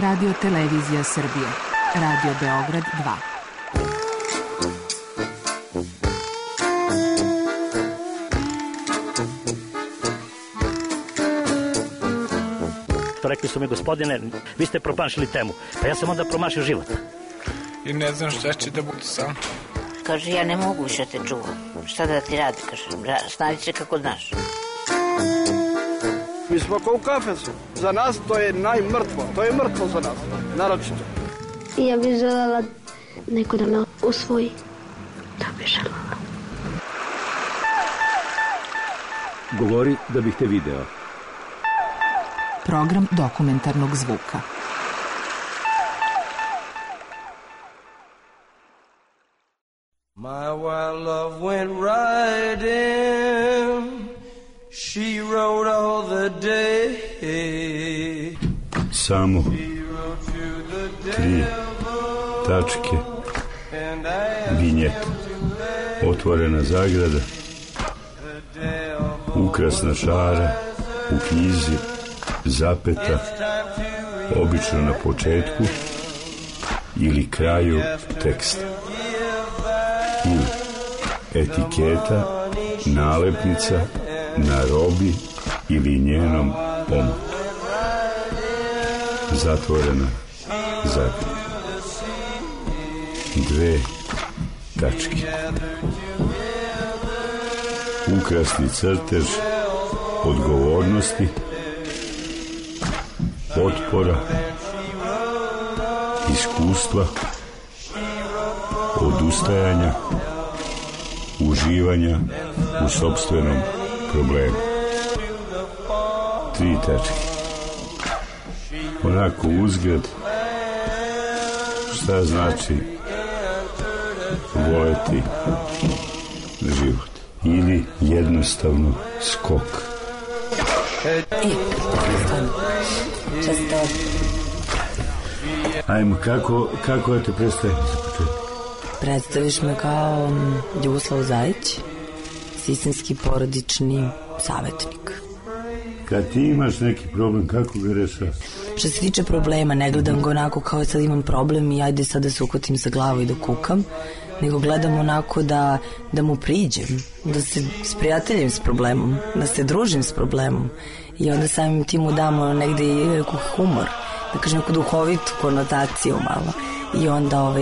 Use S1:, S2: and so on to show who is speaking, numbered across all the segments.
S1: Radio Televizija Srbije. Radio Beograd
S2: 2. Rekli su mi, gospodine, vi ste promašili temu. Pa ja sam onda promašio život.
S3: I ne znam šta će da bude sam.
S4: Kaže, ja ne mogu više te čuvam. Šta da ti radi, kaže, snađi se kako znaš.
S5: Mi smo kao u kafesu. Za nas to je najmrtvo. To je mrtvo za nas, naročito.
S6: Ja bih želela neko da me usvoji. Da bih želela.
S7: Govori da bih te video.
S1: Program dokumentarnog zvuka.
S8: My wild love went riding. She rode all the day.
S9: Samo 3 tačke. Vinjeta. Otvorena zagrada. Ukrasna šara u knjizi. Zapeta. Obično na početku ili kraju teksta. Etiketa, nalepnica na robi ili njenom omotu. Zatvorena zagrada. 2 tačke. Ukrasni crtež odgovornosti, otpora, iskustva, odustajanja, uživanja u sopstvenom problemu. 3 tačke. Onako uzgled, šta znači voleti život. Ili jednostavno skok. Ajmo, kako da te predstavim za početak?
S10: Predstaviš me kao Ljuboslav Zajić, sistemski porodični savjetnik.
S9: Kad ti imaš neki problem, kako ga rešavaš?
S10: Što se tiče problema, ne gledam ga onako kao sad imam problem i ajde sad da se uhvatim za glavu i da kukam, nego gledam onako da mu priđem, da se sprijateljim s problemom, da se družim s problemom i onda samim tim mu damo negde i humor, da kažem neku duhovitu konotaciju malo i onda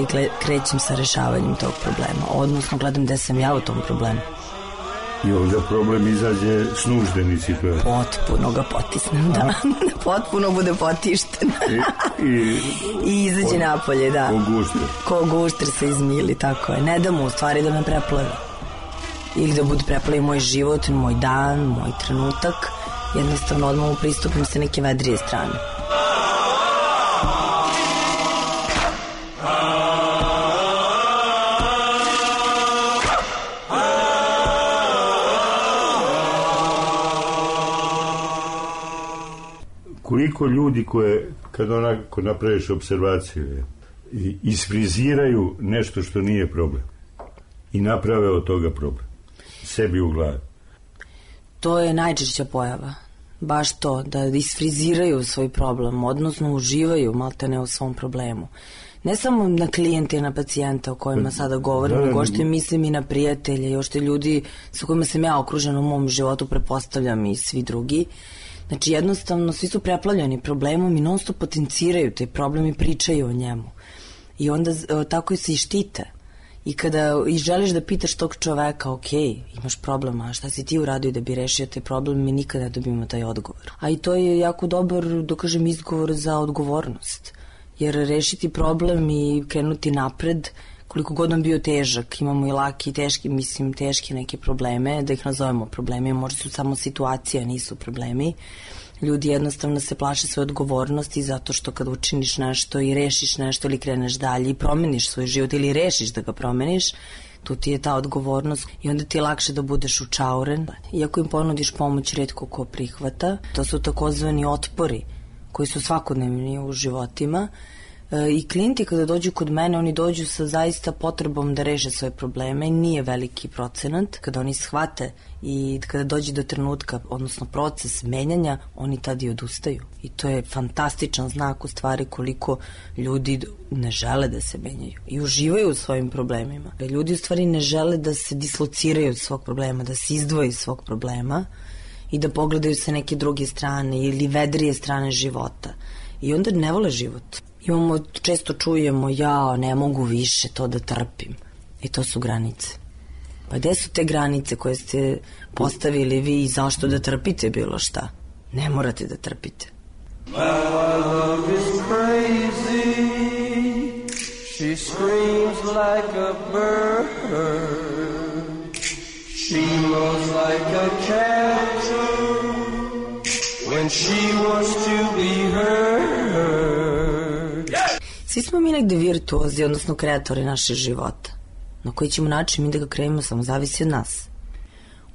S10: krećem sa rešavanjem tog problema, odnosno gledam gde sam ja u tom problemu.
S9: I onda problem izađe s nuždeni situacije.
S10: Potpuno ga potisnem, da. Potpuno bude potišten. I izađe napolje, da. Ko gušter se izmili, tako je. Ne da mu u stvari da me preplavi. Ili da bude preplavi moj život, moj dan, moj trenutak. Jednostavno odmah mu pristupim sa neke vedrije strane.
S9: Koliko ljudi koje, kad onako napraviš observaciju, isfriziraju nešto što nije problem i naprave od toga problem sebi u glavi.
S10: To je najčešća pojava. Baš to, da isfriziraju svoj problem, odnosno uživaju maltene u svom problemu. Ne samo na klijente i na pacijente o kojima sada govorim, nego ošte mislim i na prijatelje i ošte ljudi sa kojima sam ja okružena u mom životu, prepostavljam i svi drugi. Znači jednostavno svi su preplavljeni problemom i non stop potenciraju taj problem i pričaju o njemu. I onda tako se i štite. I kada i želiš da pitaš tog čoveka, ok, imaš problema, šta si ti uradio da bi rešio taj problem, mi nikada ne dobijemo taj odgovor. A i to je jako dobar, da kažem, izgovor za odgovornost. Jer rešiti problem i krenuti napred, koliko god on bio težak, imamo i laki i teški, mislim teške neke probleme, da ih nazovemo problemi, možda su samo situacije, nisu problemi. Ljudi jednostavno se plaše svoje odgovornosti zato što kad učiniš nešto i rešiš nešto ili kreneš dalje i promeniš svoj život ili rešiš da ga promeniš, tu ti je ta odgovornost i onda ti je lakše da budeš učauren. Iako im ponudiš pomoć, retko ko prihvata. To su takozvani otpori koji su svakodnevni u životima, I klijenti kada dođu kod mene, oni dođu sa zaista potrebom da reše svoje probleme. Nije veliki procenat. Kada oni shvate i kada dođe do trenutka, odnosno proces menjanja, oni tad i odustaju. I to je fantastičan znak u stvari koliko ljudi ne žele da se menjaju i uživaju u svojim problemima. Ljudi u stvari ne žele da se dislociraju od svog problema, da se izdvoje iz svog problema i da pogledaju sa neke druge strane ili vedrije strane života. I onda ne vole život. Često čujemo, ja ne mogu više to da trpim. I to su granice. Pa gde su te granice koje ste postavili vi i zašto da trpite bilo šta? Ne morate da trpite.
S8: My love is crazy. She screams like a bird. She mows like a cat when she wants to be heard.
S10: Svi smo mi negde virtuozi, odnosno kreatori naše života. Na koji ćemo način mi da ga kreiramo samo zavisi od nas.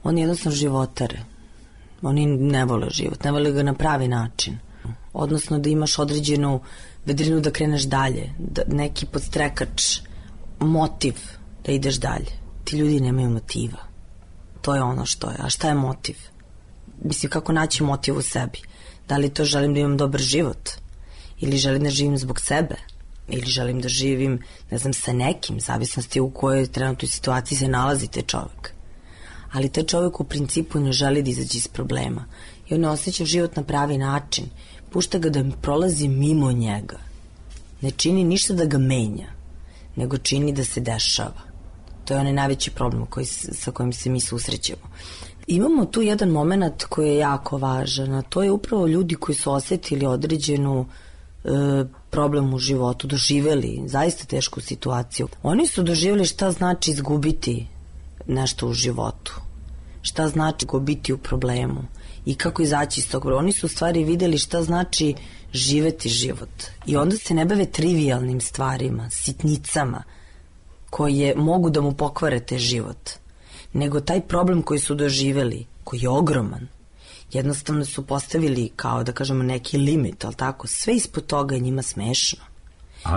S10: Oni jednostavno životare. Oni ne vole život, ne vole ga na pravi način. Odnosno da imaš određenu vedrinu da kreneš dalje, da neki podstrekač, motiv da ideš dalje. Ti ljudi nemaju motiva. To je ono što je. A šta je motiv? Mislim, kako naći motiv u sebi? Da li to želim da imam dobar život? Ili želim da živim zbog sebe? Ili želim da živim, ne znam, sa nekim, zavisnosti u kojoj trenutnoj situaciji se nalazi taj čovek. Ali taj čovek u principu ne želi da izađe iz problema. I on ne osjeća život na pravi način. Pušta ga da prolazi mimo njega. Ne čini ništa da ga menja, nego čini da se dešava. To je onaj najveći problem sa kojim se mi susrećemo. Imamo tu jedan moment koji je jako važan, a to je upravo ljudi koji su osetili određenu problem u životu, doživeli zaista tešku situaciju. Oni su doživjeli šta znači izgubiti nešto u životu, šta znači biti u problemu i kako izaći iz tog problema. Oni su u stvari videli šta znači živeti život i onda se ne bave trivialnim stvarima, sitnicama koje mogu da mu pokvare te život, nego taj problem koji su doživjeli, koji je ogroman, jednostavno su postavili kao da kažemo neki limit, ali tako, sve ispod toga je njima smešno.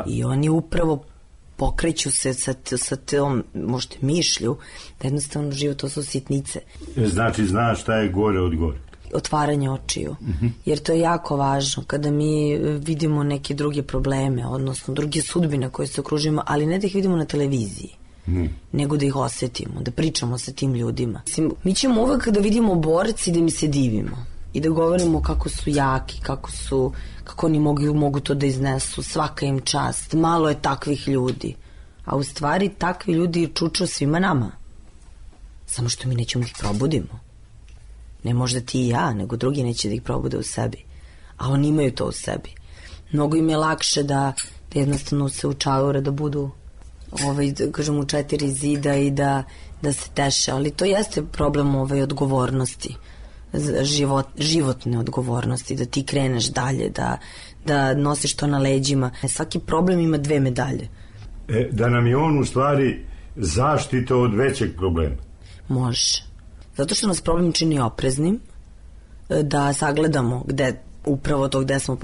S10: I oni upravo pokreću se sa tom možda mišlju da jednostavno život to su sitnice.
S9: Znači znaš šta je gore od gore.
S10: Otvaranje očiju. Jer to je jako važno kada mi vidimo neke druge probleme, odnosno druge sudbine koje se okružujemo, ali ne da ih vidimo na televiziji. Nego da ih osetimo, da pričamo sa tim ljudima. Mi ćemo uvek da vidimo borci da mi se divimo i da govorimo kako su jaki, kako oni mogu to da iznesu, svaka im čast, malo je takvih ljudi. A u stvari takvi ljudi čuču svima nama. Samo što mi nećemo da ih probudimo. Ne možda ti i ja, nego drugi neće da ih probude u sebi. A oni imaju to u sebi. Mnogo im je lakše da jednostavno se učaure, da budu kažem u 4 zida i da se teše, ali to jeste problem odgovornosti, životne odgovornosti, da ti kreneš dalje, da nosiš to na leđima. Svaki problem ima 2 medalje.
S9: Da nam je on u stvari zaštita od većeg problema.
S10: Može. Zato što nas problem čini opreznim, da sagledamo upravo to gde smo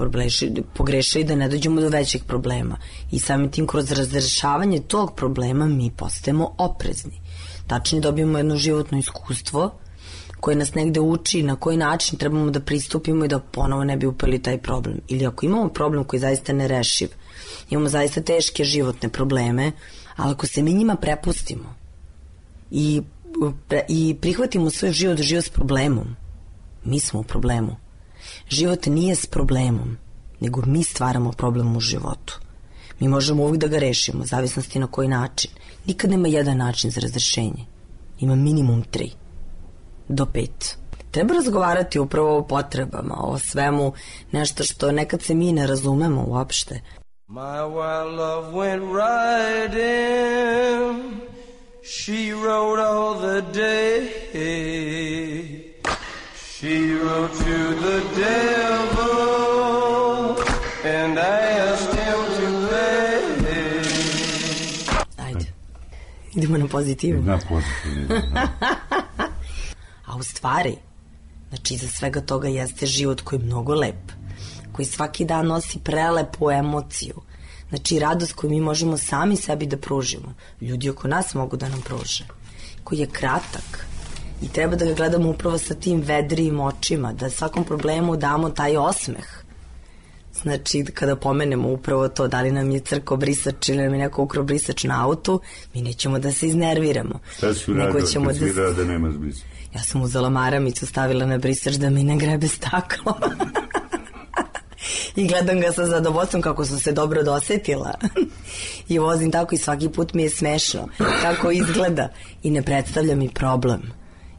S10: pogrešili, da ne dođemo do većeg problema. I samim tim kroz razrešavanje tog problema mi postajemo oprezni. Tačnije dobijemo jedno životno iskustvo koje nas negde uči na koji način trebamo da pristupimo i da ponovo ne bi upali taj problem. Ili ako imamo problem koji je zaista nerešiv, imamo zaista teške životne probleme, ali ako se mi njima prepustimo i prihvatimo svoj život s problemom, mi smo u problemu. Život nije s problemom, nego mi stvaramo problem u životu. Mi možemo uvijek da ga rešimo, zavisnosti na koji način. Nikad nema jedan način za razrešenje. Ima minimum 3 do 5. Treba razgovarati upravo o potrebama, o svemu, nešto što nekad se mi ne razumemo uopšte.
S8: My wild love went riding, she rode all the day. She wrote to the devil and asked him to pay.
S10: Ajde. Idemo na pozitivu.
S9: Na pozitivu.
S10: A u stvari, znači iza svega toga jeste život koji je mnogo lep, koji svaki dan nosi prelepu emociju. Znači, radost koju mi možemo sami sebi da pružimo, ljudi oko nas mogu da nam pruže, koji je kratak i treba da ga gledamo upravo sa tim vedrijim očima, da svakom problemu damo taj osmeh. Znači, kada pomenemo upravo to, da li nam je crko brisač ili nam je neko ukro brisač na autu, mi nećemo da se iznerviramo.
S9: Šta si uradio kad si videla da nema brisač?
S10: Ja sam uzela maramicu, stavila na brisač da mi ne grebe staklo. I gledam ga sa zadovoljstvom kako sam se dobro dosetila. I vozim tako i svaki put mi je smešno kako izgleda i ne predstavlja mi problem.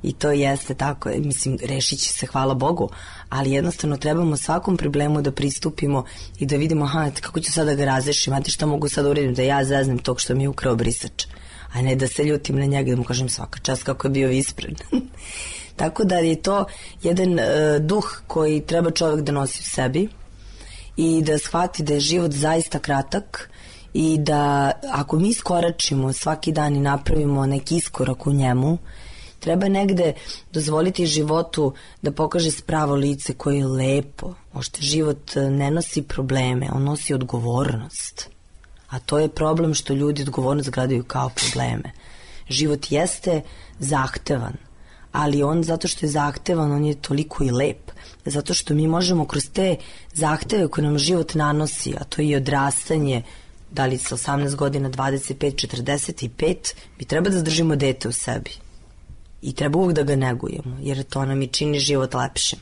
S10: I to jeste tako, mislim, rešit će se, hvala Bogu, ali jednostavno trebamo svakom problemu da pristupimo i da vidimo, kako ću sada ga razrešim, znate šta mogu sada uradim, da ja zaznem tog što mi je ukrao brisač, a ne da se ljutim na njega, da mu kažem svaka čast kako je bio ispred. Tako da je to jedan duh koji treba čovjek da nosi u sebi i da shvati da je život zaista kratak i da ako mi iskoračimo svaki dan i napravimo neki iskorak u njemu, treba negde dozvoliti životu da pokaže spravo lice koje je lepo. Možda život ne nosi probleme, on nosi odgovornost. A to je problem što ljudi odgovornost gledaju kao probleme. Život jeste zahtevan, ali on zato što je zahtevan, on je toliko i lep. Zato što mi možemo kroz te zahteve koje nam život nanosi, a to je i odrastanje, da li sa 18 godina, 25, 45, mi treba da zadržimo dete u sebi. I treba uvijek da ga negujemo, jer to nam i čini život lepšim.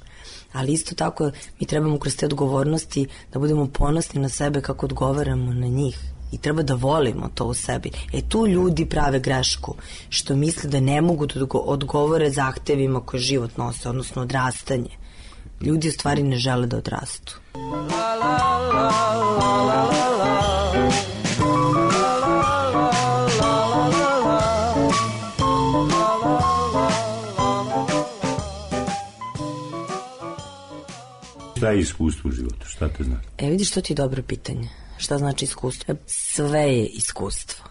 S10: Ali isto tako mi trebamo kroz te odgovornosti da budemo ponosni na sebe kako odgovaramo na njih. I treba da volimo to u sebi. Tu ljudi prave grešku, što misle da ne mogu da odgovore zahtevima koje život nose, odnosno odrastanje. Ljudi u stvari ne žele da odrastu.
S9: Šta je iskustvo u životu? Šta te znači?
S10: Vidiš, to ti je dobro pitanje. Šta znači iskustvo? Sve je iskustvo.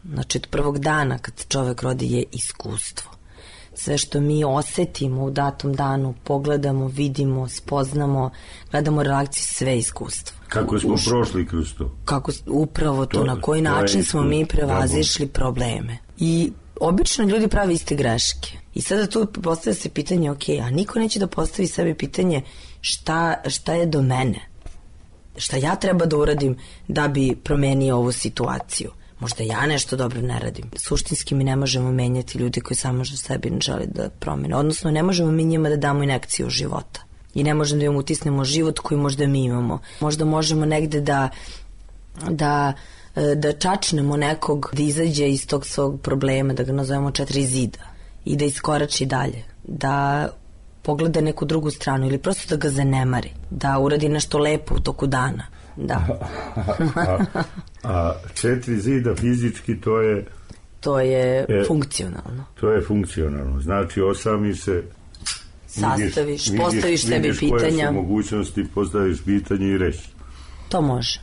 S10: Znači, od prvog dana kad čovek rodi je iskustvo. Sve što mi osetimo u datom danu, pogledamo, vidimo, spoznamo, gledamo reakciju, sve je iskustvo.
S9: Kako smo prošli kroz to?
S10: Upravo to, na koji način smo mi prevazišli probleme. I obično ljudi prave iste greške. I sada tu postavlja se pitanje, a niko neće da postavi sebi pitanje šta je do mene? Šta ja treba da uradim da bi promenio ovu situaciju? Možda ja nešto dobro ne radim. Suštinski mi ne možemo menjati ljudi koji samo što sebi ne žele da promene. Odnosno, ne možemo mi njima da damo injekciju života. I ne možemo da im utisnemo život koji možda mi imamo. Možda možemo negde da čačnemo nekog da izađe iz tog svog problema, da ga nazovemo 4 zida i da iskorači dalje, da pogleda neku drugu stranu ili prosto da ga zanemari, da uradi nešto lepo u toku dana. Da.
S9: a 4 zida fizički
S10: to je funkcionalno.
S9: To je funkcionalno. Znači osami se,
S10: sastaviš, postaviš sebi pitanja.
S9: Vidiš koje su mogućnosti, postaviš pitanje i reći.
S10: To može.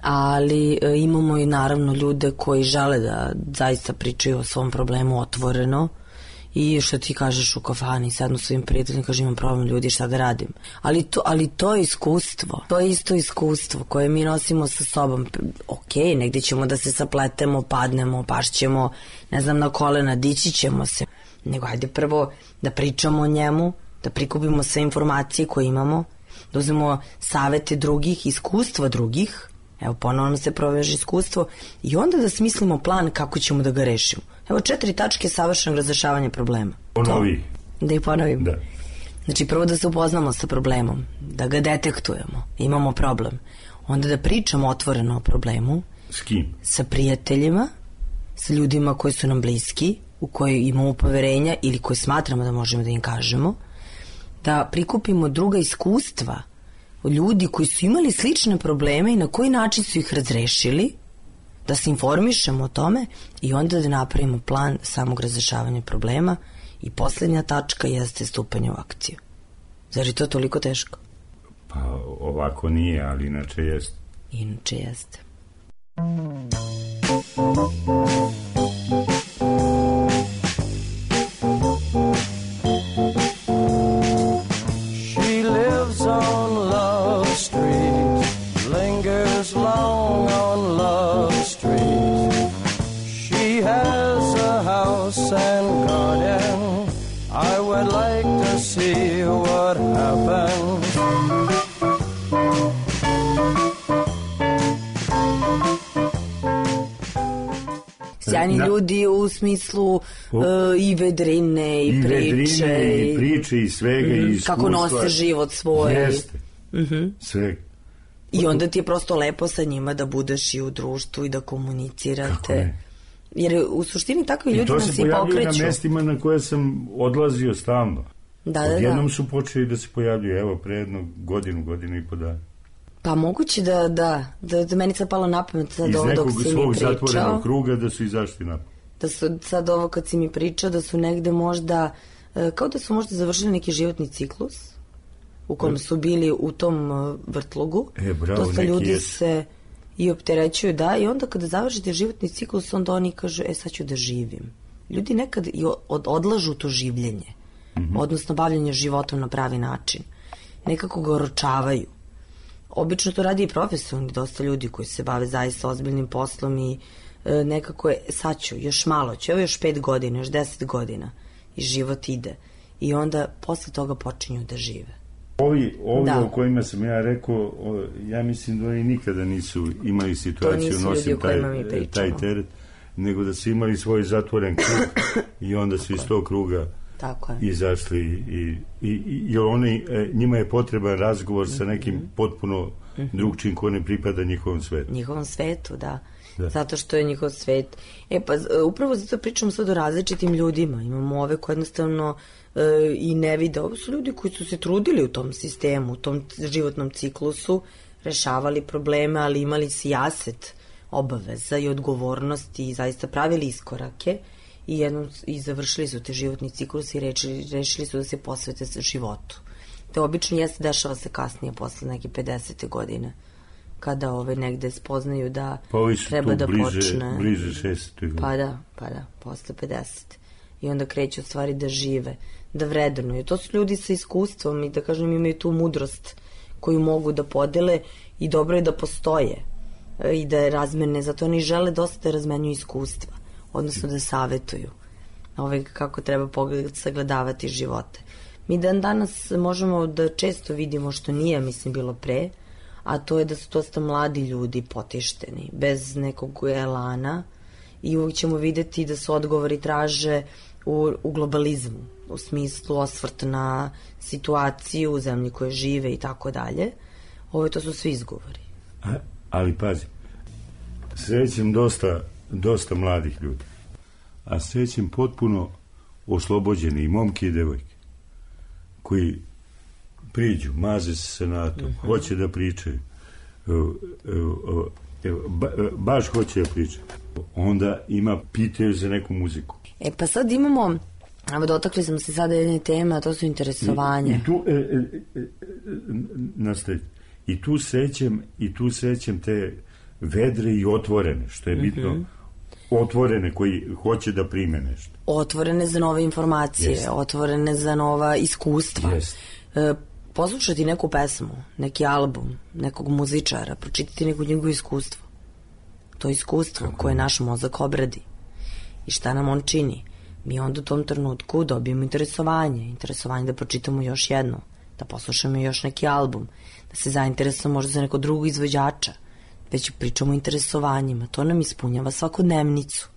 S10: Ali imamo i naravno ljude koji žele da zaista pričaju o svom problemu otvoreno i što ti kažeš u kafani, sednu svojim prijateljima, kaže imam problem ljudi, šta da radim. Ali to je iskustvo. To je isto iskustvo koje mi nosimo sa sobom. Negdje ćemo da se sapletemo, padnemo, pašćemo, ne znam, na kolena, dići ćemo se. Nego ajde prvo da pričamo o njemu, da prikupimo sve informacije koje imamo, da uzmemo savete drugih, iskustva drugih, ponovno se proveže iskustvo i onda da smislimo plan kako ćemo da ga rešimo. 4 tačke savršenog razrešavanja problema.
S9: Ponovi.
S10: Da ih ponovim.
S9: Da.
S10: Znači, prvo da se upoznamo sa problemom, da ga detektujemo, imamo problem. Onda da pričamo otvoreno o problemu.
S9: S kim?
S10: Sa prijateljima, sa ljudima koji su nam bliski, u koji imamo poverenja ili koji smatramo da možemo da im kažemo. Da prikupimo druga iskustva od ljudi koji su imali slične probleme i na koji način su ih razrešili, da se informišemo o tome i onda da napravimo plan samog razrešavanja problema i posljednja tačka jeste stupanje u akciju. Zar je to toliko teško?
S9: Pa ovako nije, ali inače jeste.
S10: Inače jeste.
S8: She lives on Love Street, lingers long on
S10: sjajni ljudi u smislu i vedrine i priče.
S9: I priče i svega i iskustva.
S10: Kako nose život svoj.
S9: Jeste. Sve.
S10: I onda ti je prosto lepo sa njima da budeš i u društvu i da komunicirate. Jer u suštini takvi ljudi nas i pokreću. I to se pojavljaju na mestima na koje sam odlazio stalno. Odjednom su počeli da se pojavljaju, evo, pre jednu godinu i po dana. Pa moguće da meni sad palo na pamet sad ovo dok si mi pričao. Iz nekog svog
S9: zatvorenog kruga da su izašli napad.
S10: Da su sad ovo kad si mi pričao, da su negde možda, kao da su možda završili neki životni ciklus u kojem su bili u tom vrtlogu.
S9: Bravo,
S10: dosta ljudi se i opterećuju, da, i onda kada završite životni ciklus, onda oni kažu, sad ću da živim. Ljudi nekad i odlažu to življenje, odnosno bavljanje životom na pravi način. Nekako ga oročavaju. Obično to radi i profesionalni, dosta ljudi koji se bave zaista ozbiljnim poslom i nekako je, sad ću, još malo ću, evo još 5 godina, još 10 godina i život ide. I onda posle toga počinju da žive.
S9: Ovi o kojima sam ja rekao, ja mislim da oni nikada nisu imali situaciju, nosim taj teret, nego da su imali svoj zatvoren krug i onda su iz tog kruga izašli i njima je potreban razgovor sa nekim potpuno drugčijim ko ne pripada njihovom svetu.
S10: Njihovom svetu, da. Zato što je njihov svet. Upravo zato pričamo sad o različitim ljudima. Imamo ove koje jednostavno i ne vide. Ovo su ljudi koji su se trudili u tom sistemu, u tom životnom ciklusu, rešavali probleme, ali imali sijaset obaveza i odgovornosti i zaista pravili iskorake i završili su te životni ciklus i rešili su da se posvete životu. To obično dešava se kasnije, posle neke 50. godine, kada negde spoznaju da treba da počne.
S9: Bliže 60. godine.
S10: Pa da, posle 50. I onda kreću stvari da žive, da vrednuju. To su ljudi sa iskustvom i da kažem imaju tu mudrost koju mogu da podele i dobro je da postoje i da razmene, zato oni žele dosta da razmenjuju iskustva, odnosno da savetuju kako treba sagledavati živote. Mi danas možemo da često vidimo što nije, mislim, bilo pre, a to je da su dosta mladi ljudi potišteni, bez nekog elana i uvijek ćemo videti da se odgovori traže u globalizmu, u smislu osvrt na situaciju u zemlji koje žive i tako dalje. To su svi izgovori.
S9: Ali pazi, srećem dosta mladih ljudi, a srećem potpuno oslobođeni i momke i devojke koji priđu, maze se senatom, hoće da pričaju, baš hoće da pričaju. Onda pitaju za neku muziku.
S10: Pa sad imamo, dotakli smo se sada jedne teme, a to su interesovanja.
S9: I tu sećam te vedre i otvorene, što je bitno, otvorene koji hoće da prime nešto.
S10: Otvorene za nove informacije, otvorene za nova iskustva. Poslušati neku pesmu, neki album, nekog muzičara, pročitati neko njegovo iskustvo. To iskustvo koje naš mozak obradi i šta nam on čini. Mi onda u tom trenutku dobijemo interesovanje da pročitamo još jedno, da poslušamo još neki album, da se zainteresujemo možda za neko drugog izvođača, već pričamo o interesovanjima. To nam ispunjava svakodnevnicu.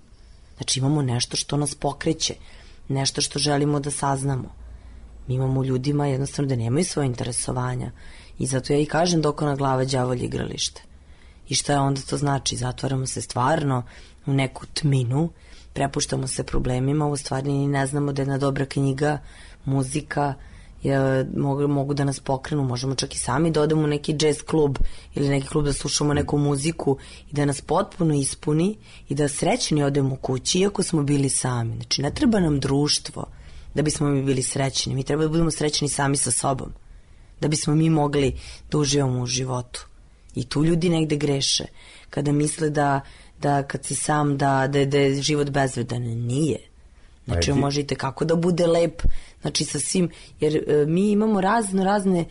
S10: Znači imamo nešto što nas pokreće, nešto što želimo da saznamo. Mi imamo ljudima jednostavno da nemaju svoje interesovanja i zato ja i kažem dok ona glava đavolje igralište. I šta je onda to znači? Zatvaramo se stvarno u neku tminu, prepuštamo se problemima, u stvari ni ne znamo da jedna dobra knjiga, muzika mogu da nas pokrenu, možemo čak i sami da odemo u neki jazz klub ili neki klub da slušamo neku muziku i da nas potpuno ispuni i da srećni odemo kući iako smo bili sami. Znači ne treba nam društvo da bismo mi bili srećni, mi treba da budemo srećni sami sa sobom, da bismo mi mogli da uživamo u životu. I tu ljudi negde greše, kada misle da kad si sam da je život bezvredan. Nije. Znači možete kako da bude lep, znači sa svim, jer mi imamo razne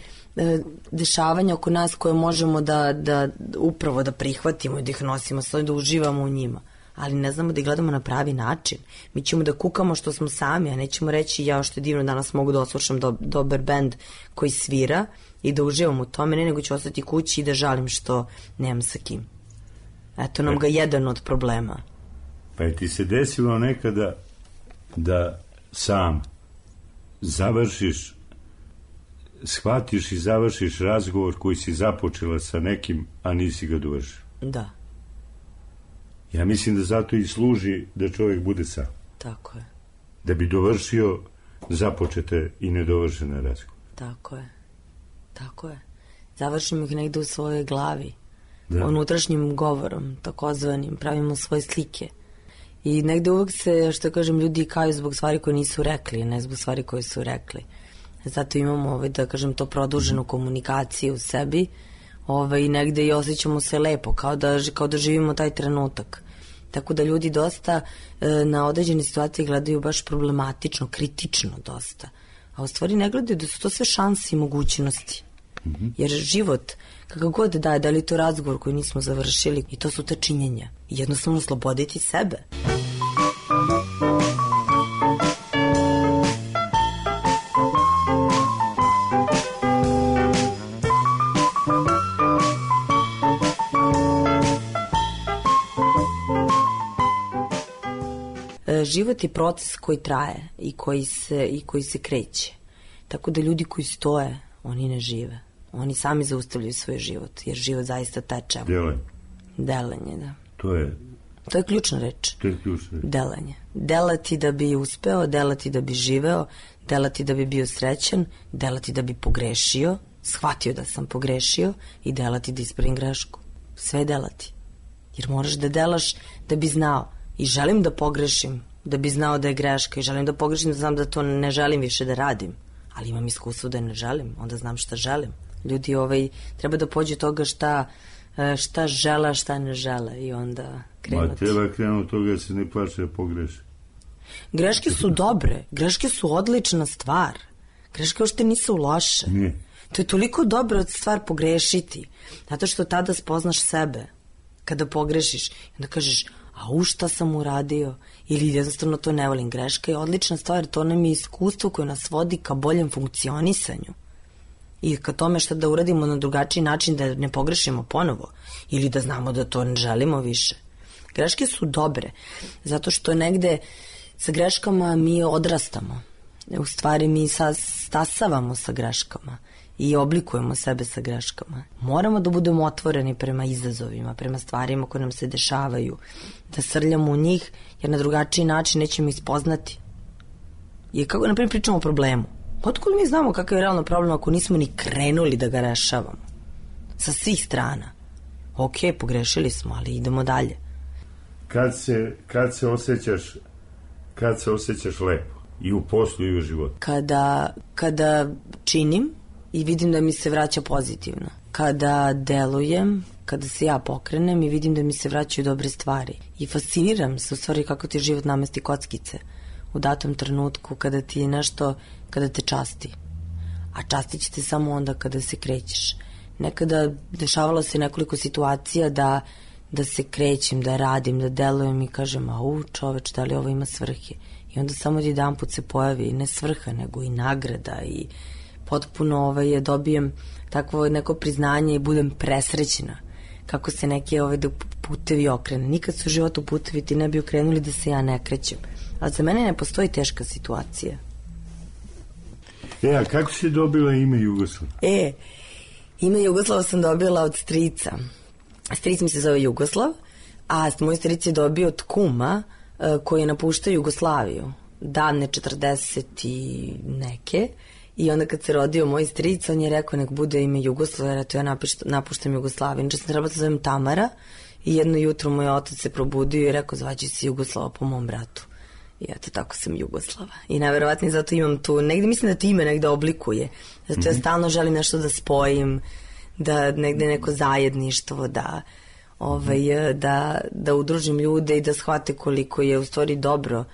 S10: dešavanja oko nas koje možemo da upravo da prihvatimo i da ih nosimo, da uživamo u njima. Ali ne znamo da ih gledamo na pravi način. Mi ćemo da kukamo što smo sami, a nećemo reći ja što je divno danas mogu da oslušam dobar bend koji svira i da uživam u tome, nego ću ostati kući i da žalim što nemam sa kim. Eto nam ga jedan od problema.
S9: Pa je ti se desilo nekada da sam završiš, shvatiš i završiš razgovor koji si započela sa nekim, a nisi ga dovršio?
S10: Da.
S9: Ja mislim da zato i služi da čovjek bude sam.
S10: Tako je.
S9: Da bi dovršio započete i nedovršene razgovore.
S10: Tako je. Tako je. Završimo ih negde u svojoj glavi.
S9: Da.
S10: Unutrašnjim govorom, takozvanim, pravimo svoje slike. I negde uvek se, što kažem, ljudi kaju zbog stvari koje nisu rekli, ne zbog stvari koje su rekli. Zato imamo, da kažem, to produženu komunikaciju u sebi i negde i osjećamo se lepo, kao da živimo taj trenutak. Tako da ljudi dosta na određene situacije gledaju baš problematično, kritično dosta. A u stvari ne gledaju da su to sve šanse i mogućnosti. Jer život, kako god daje, da li to razgovor koji nismo završili, i to su te činjenja. I jednostavno osloboditi sebe. Život je proces koji traje i koji se kreće. Tako da ljudi koji stoje, oni ne žive. Oni sami zaustavljaju svoj život, jer život zaista teče. Delanje, da. To je ključna reč. Delanje. Delati da bi uspeo, delati da bi živeo, delati da bi bio srećan, delati da bi pogrešio, shvatio da sam pogrešio i delati da ispravim grešku. Sve delati. Jer moraš da delaš da bi znao. I želim da pogrešim, da bi znao da je greška, i želim da pogrešim, da znam da to ne želim više da radim. Ali imam iskustvo da ne želim, onda znam šta želim. Ljudi treba da pođe toga šta žele, šta ne žele i onda krenuti.
S9: Ma treba krenuti toga da se ne plače da pogreši.
S10: Greške su dobre, greške su odlična stvar. Greške uopšte nisu loše.
S9: Nije.
S10: To je toliko dobra stvar pogrešiti, zato što tada spoznaš sebe. Kada pogrešiš, onda kažeš, a šta sam uradio, ili jednostavno to ne volim. Greška je odlična stvar, to nam je iskustvo koje nas vodi ka boljem funkcionisanju i ka tome šta da uradimo na drugačiji način, da ne pogrešimo ponovo ili da znamo da to ne želimo više. Greške su dobre, zato što negde sa greškama mi odrastamo. U stvari mi stasavamo sa greškama i oblikujemo sebe sa greškama. Moramo da budemo otvoreni prema izazovima, prema stvarima koje nam se dešavaju, da srljamo u njih, jer na drugačiji način nećemo ih spoznati. I kako, naprimjer, pričamo o problemu. Otkud mi znamo kakav je realno problem ako nismo ni krenuli da ga rešavamo? Sa svih strana. Ok, pogrešili smo, ali idemo dalje.
S9: Kad se osjećaš lepo? I u poslu i u životu?
S10: Kada činim i vidim da mi se vraća pozitivno. Kada delujem, kada se ja pokrenem i vidim da mi se vraćaju dobre stvari. I fasciniram se u stvari kako ti život namesti kockice u datom trenutku kada ti je nešto, kada te časti. A častit će te samo onda kada se krećeš. Nekada dešavalo se nekoliko situacija da se krećem, da radim, da delujem i kažem, čoveč, da li ovo ima svrhe? I onda samo jedan put se pojavi ne svrha, nego i nagrada i potpuno dobijem takvo neko priznanje i budem presrećena kako se neki putevi okrene. Nikad su u životu putevi ti ne bi okrenuli da se ja ne krećem. Ali za mene ne postoji teška situacija.
S9: A kako si dobila ime Jugoslav?
S10: Ime Jugoslava sam dobila od strica. Stric mi se zove Jugoslav, a moj stric je dobio od kuma koji je napuštao Jugoslaviju davne 40 i neke, i onda kad se rodio moj stric, on je rekao nek bude ime Jugoslav, jer eto ja napuštam Jugoslaviju. Inače sam trebala da se zovem Tamara i jedno jutro moj otac se probudio i rekao zvađi se Jugoslava po mom bratu. I eto tako sam Jugoslava. I najverovatnije zato imam tu, negde mislim da ti ime negde oblikuje. Zato ja stalno želim nešto da spojim, da negde neko zajedništvo, da udružim ljude i da shvate koliko je u stvari dobro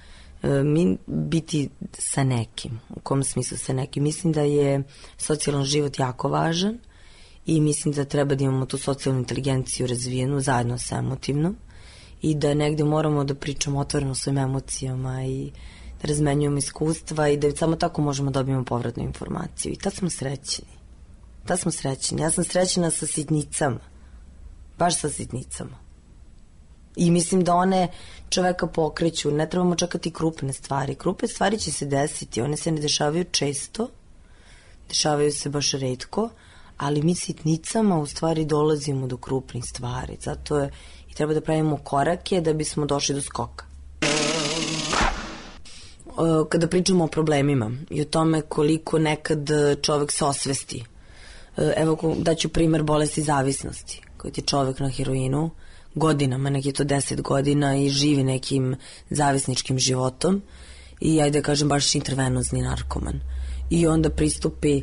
S10: biti sa nekim. U kom smislu sa nekim? Mislim da je socijalan život jako važan i mislim da treba da imamo tu socijalnu inteligenciju razvijenu zajedno sa emotivnom i da negde moramo da pričamo otvoreno svojim emocijama i da razmenjujemo iskustva i da samo tako možemo da dobijemo povratnu informaciju. I tad smo srećni. Ja sam srećena sa sitnicama. Baš sa sitnicama. I mislim da one čoveka pokreću, ne trebamo čekati krupne stvari. Krupne stvari će se desiti, one se ne dešavaju često, dešavaju se baš retko, ali mi sitnicama u stvari dolazimo do krupnih stvari. Zato je i treba da pravimo korake da bismo došli do skoka. Kada pričamo o problemima i o tome koliko nekad čovek se osvesti. Evo, daću primer bolesti zavisnosti. Koji je čovek na heroinu godinama, neki je to 10 godina i živi nekim zavisničkim životom i ajde da kažem baš intravenozni narkoman. I onda pristupi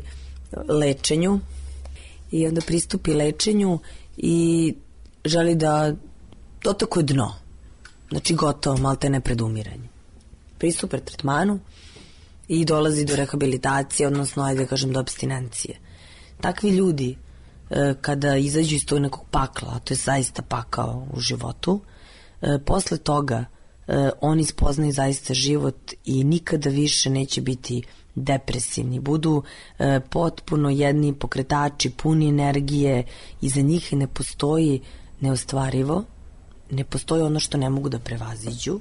S10: lečenju i želi da dotakuje dno. Znači gotovo, malte ne pred umiranje. Pristupe tretmanu i dolazi do rehabilitacije, odnosno ajde da kažem do apstinencije. Takvi ljudi kada izađu iz tog nekog pakla, a to je zaista pakao u životu, posle toga oni spoznaju zaista život i nikada više neće biti depresivni, budu potpuno jedni pokretači, puni energije i za njih ne postoji neostvarivo, ne postoji ono što ne mogu da prevaziđu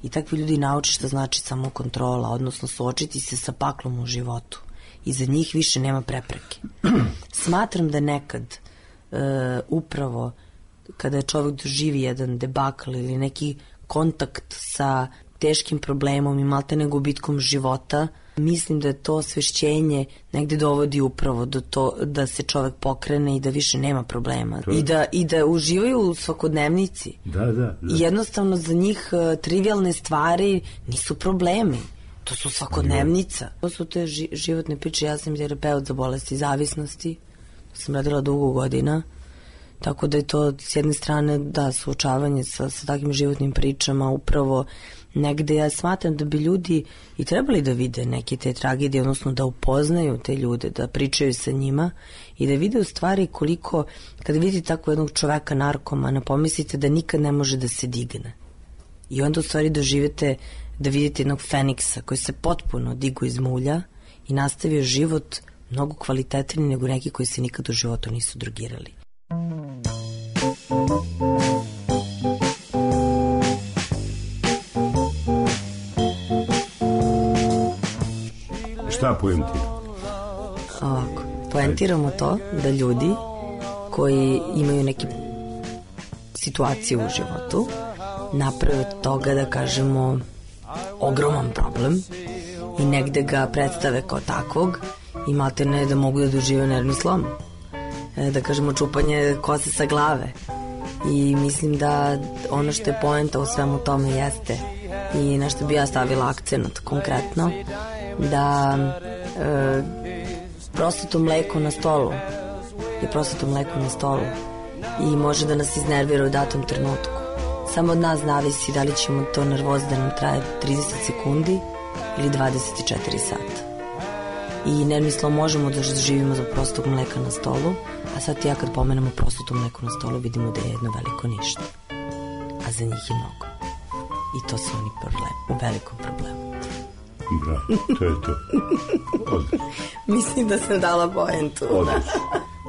S10: i takvi ljudi nauče šta znači samokontrola, odnosno suočiti se sa paklom u životu. I za njih više nema prepreke. Smatram da nekad upravo kada čovjek doživi jedan debakl ili neki kontakt sa teškim problemom i maltene gubitkom života, mislim da je to osvešćenje negde dovodi upravo do to da se čovjek pokrene i da više nema problema. I da uživaju u svakodnevnici.
S9: Da.
S10: I jednostavno za njih trivialne stvari nisu problemi. To su svakodnevnica. To su te životne priče. Ja sam terapeut za bolesti zavisnosti. To sam radila dugo godina. Tako da je to s jedne strane suočavanje sa takvim životnim pričama upravo negde ja smatram da bi ljudi i trebali da vide neke te tragedije, odnosno da upoznaju te ljude, da pričaju sa njima i da vide u stvari koliko, kada vidite tako jednog čoveka narkomana, pomislite da nikad ne može da se digne. I onda u stvari doživete da vidite jednog feniksa koji se potpuno digu iz mulja i nastavio život mnogo kvalitetniji nego neki koji se nikad u životu nisu drogirali.
S9: Šta poentira?
S10: Ovako, poentiramo to da ljudi koji imaju neke situacije u životu naprave od toga, da kažemo, ogroman problem i negde ga predstave kao takvog i maltene da mogu da dožive nervni slom. Da kažemo, čupanje kose sa glave. I mislim da ono što je poenta u svemu tome jeste i na što bi ja stavila akcenat konkretno, da prosto mleko na stolu je prosto mleko na stolu i može da nas iznervira u datom trenutku. Samo od nas zavisi da li ćemo to nervoz da nam traje 30 sekundi ili 24 sata. I nervni slom možemo da živimo za prostog mleka na stolu, a sad ja kad pomenemo prosto mleko na stolu vidimo da je jedno veliko ništa. A za njih je mnogo. I to su oni u velikom problemu.
S9: Bravo, to je to. Odlično.
S10: Mislim da sam dala poentu.
S9: Odlično.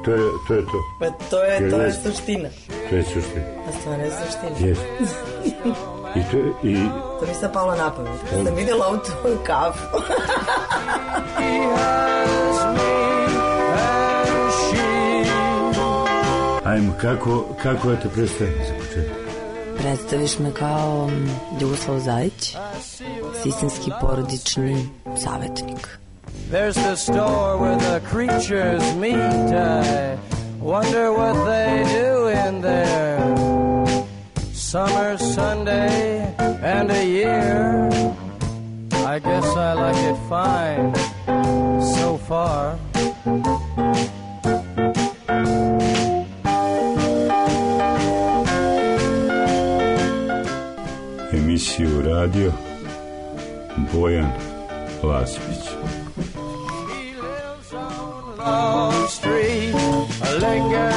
S9: To je to.
S10: Pa to je suština.
S9: To je suština.
S10: A stvarno je suština.
S9: Jeste.
S10: To mi sad palo na pamet. Kad sam vidjela ovu tvoju kafu.
S9: Ajmo, kako ja te predstavim za početak?
S10: Predstaviš me kao Jugoslav Zajić, sistemski porodični savjetnik.
S8: There's the store where the creatures meet. I wonder what they do in there. Summer, Sunday, and a year. I guess I like it fine so far.
S9: Emisiju radio Bojan Laspić.
S8: Street, a Lincoln